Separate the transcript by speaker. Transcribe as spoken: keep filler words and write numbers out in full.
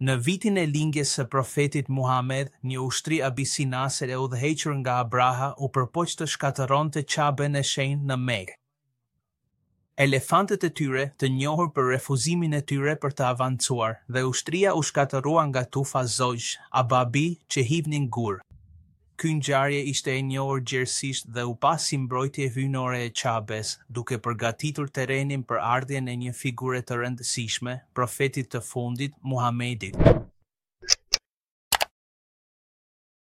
Speaker 1: Në vitin e lindjes së profetit Muhamed, një ushtri abisinase e udhëhequr nga Abraha u përpoq të shkatërronte Qaben e shenjtë në Mekë. Elefantët e tyre, të njohur për refuzimin e tyre për të avancuar, dhe ushtria u shkatërrua nga tufa zogjsh, ababi, që hidhnin gurë. Ky ngjarje ishte e njohur gjerësisht dhe u pa si mbrojtje hyjnore e Qabes, duke përgatitur terrenin për ardhjen e një figure të rëndësishme, profetit të fundit, Muhamedit.